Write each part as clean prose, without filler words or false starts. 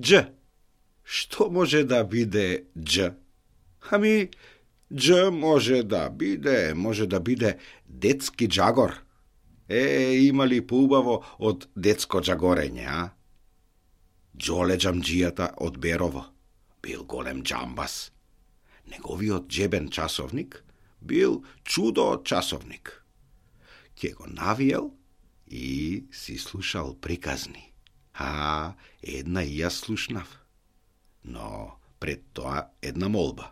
Дж. Што може да биде Дж? Ами, Дж може да биде детски джагор. Има ли поубаво од детско джагорење, а? Джоле джамџијата од Берово бил голем джамбас. Неговиот джебен часовник бил чудо часовник. Ке го навиел и си слушал приказни. Една и јас слушнав. Но пред тоа една молба.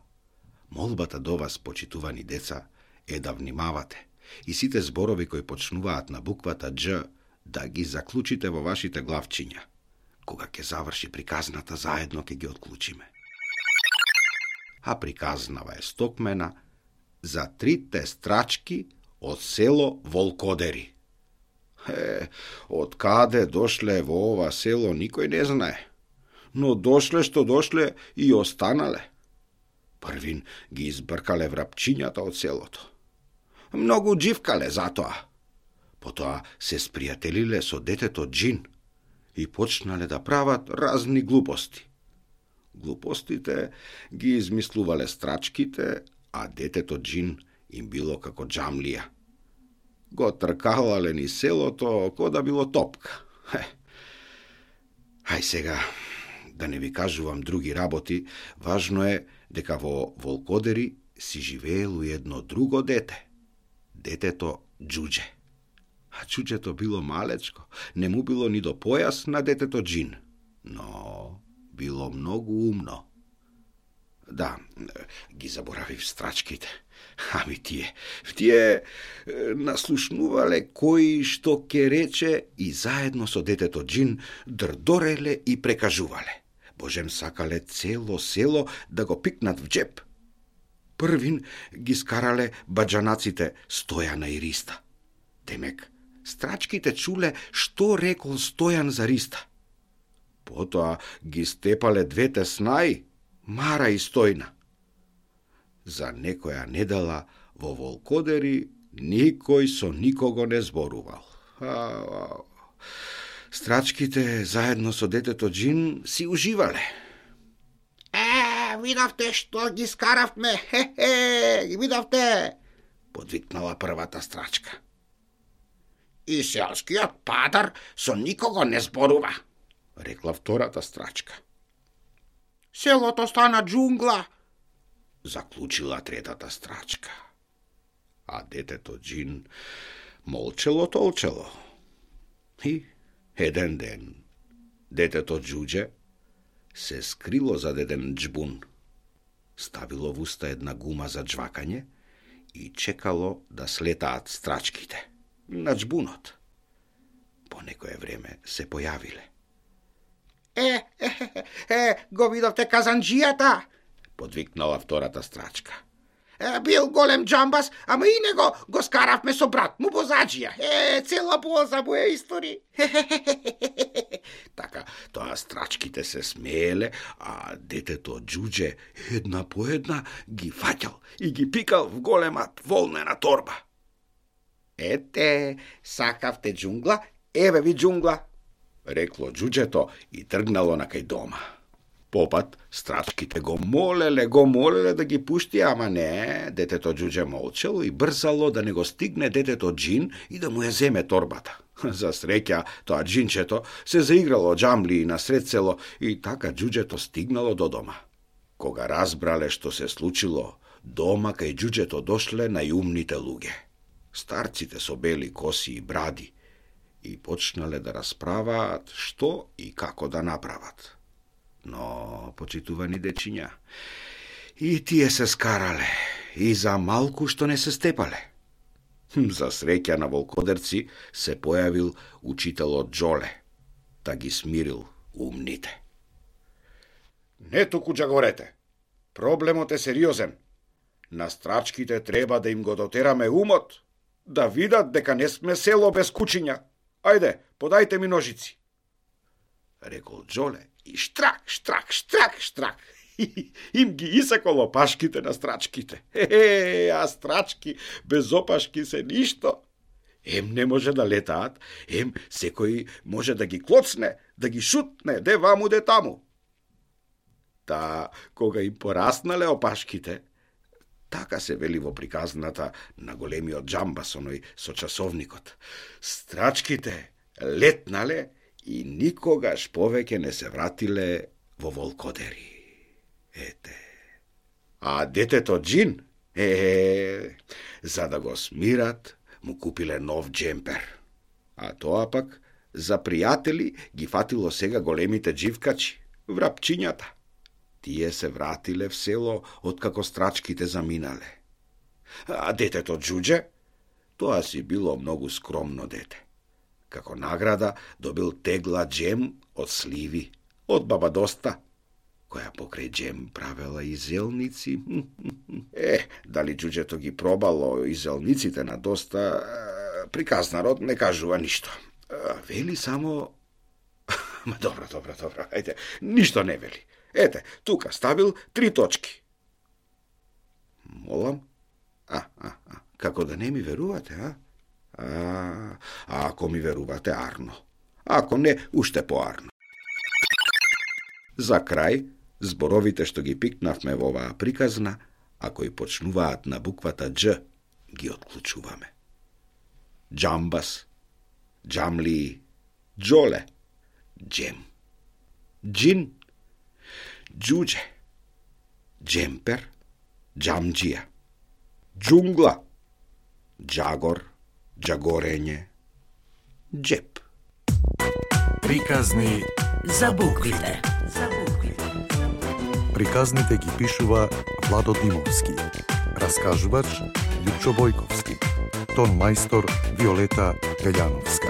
Молбата до вас, почитувани деца, е да внимавате и сите зборови кои почнуваат на буквата Дж да ги заклучите во вашите главчиња. Кога ќе заврши приказната, заедно ќе ги отклучиме. А приказнава е стокмена за 3 страчки од село Волкодери. Од каде дошле во ова село никој не знае, но дошле што дошле и останале. Првин ги избркале врапчињата од селото. Многу дживкале затоа. Потоа се спријателиле со детето Джин и почнале да прават разни глупости. Глупостите ги измислувале страчките, а детето Джин им било како джамлија. Го тркалале ни селото, ко да било топка. Хај сега, да не ви кажувам други работи, важно е дека во Волкодери си живеело едно друго дете. Детето Џуџе. А Џуџето било малечко, не му било ни до појас на детето Джин, но било многу умно. Да, ги заборавив страчките. Ами тие наслушнувале кој што ке рече и заедно со детето Джин дрдореле и прекажувале. Божем сакале цело село да го пикнат в джеп. Првин ги скарале баџанаците Стојана и Риста. Демек, страчките чуле што рекол Стојан за Риста. Потоа ги степале двете снаи, Мара и Стојна. За некоја недела во Волкодери никој со никого не зборувал. Страчките заедно со детето Джин си уживале. Видавте што ги скаравме, видавте, подвикнала првата страчка. И селскиот падар со никого не зборува, рекла втората страчка. Селото стана джунгла, заклучила третата страчка. А детето Джин молчело. И еден ден детето Џуџе се скрило зад еден џбун. Ставило в уста една гума за джвакање и чекало да слетаат страчките на џбунот. По некое време се појавиле. Го видовте казанџијата, подвикнала втората страчка. Бил голем джамбас, ама и него го скаравме со брат му бозаџија. Цела боза му е истори. Така, тоа страчките се смееле, а детето Џуџе една по една ги фаќал и ги пикал в голема волнена торба. Сакавте џунгла, еве ви џунгла, рекло Џуџето и тргнало на кај дома. Попат страчките го молеле да ги пушти, ама не, детето Џуџе молчело и брзало да не го стигне детето Джин и да му ја земе торбата. За среќа, тоа джинчето се заиграло џамли на сред село и така Џуџето стигнало до дома. Кога разбрале што се случило, дома кај Џуџето дошле најумните луѓе. Старците со бели коси и бради и почнале да расправаат што и како да направат. Но, почитувани дечиња, и тие се скарале, и за малку што не се степале. За среќа на волкодерци се појавил учителот Џоле, да ги смирил умните. Не туку џагорете, проблемот е сериозен. На страчките треба да им го дотераме умот, да видат дека не сме село без кучиња. Ајде, подајте ми ножици, рекол Џоле. И штрак. Им ги исаколо пашките на страчките. А страчки без опашки се ништо. Ем не може да летаат, ем секој може да ги клоцне, да ги шутне, де ваму, де таму. Та, кога им пораснале опашките, така се вели во приказната на големиот Джамбас, оној со часовникот, страчките летнале и никогаш повеќе не се вратиле во Волкодери. Ете. А детето Джин, за да го смират, му купиле нов джемпер. А тоа пак за пријатели ги фатило сега големите дживкачи, врапчињата. Тие се вратиле в село откако страчките заминале. А детето Джудже, тоа си било многу скромно дете. Како награда добил тегла джем од сливи, од баба Доста, која покрај джем правела и зелници. Дали Джуджето ги пробало и зелниците на Доста, приказнарот не кажува ништо. Вели само... Добро, ајде, ништо не вели. Ете, тука ставил 3 точки. Молам? Како да не ми верувате, а? Ако ми верувате, арно. Ако не, уште поарно. За крај, зборовите што ги пикнавме во оваа приказна, ако и почнуваат на буквата Дж, ги отклучуваме. Джамбас, Джамли, Джоле, Джем, Джин, Джудже, Джемпер, Джамджија, Джунгла, Джагор, Джагорење, Джеп. Приказни за буквите. Приказните ги пишува Владо Димовски. Раскажувач Лјупчо Бојковски. Тон мајстор Виолета Пељановска.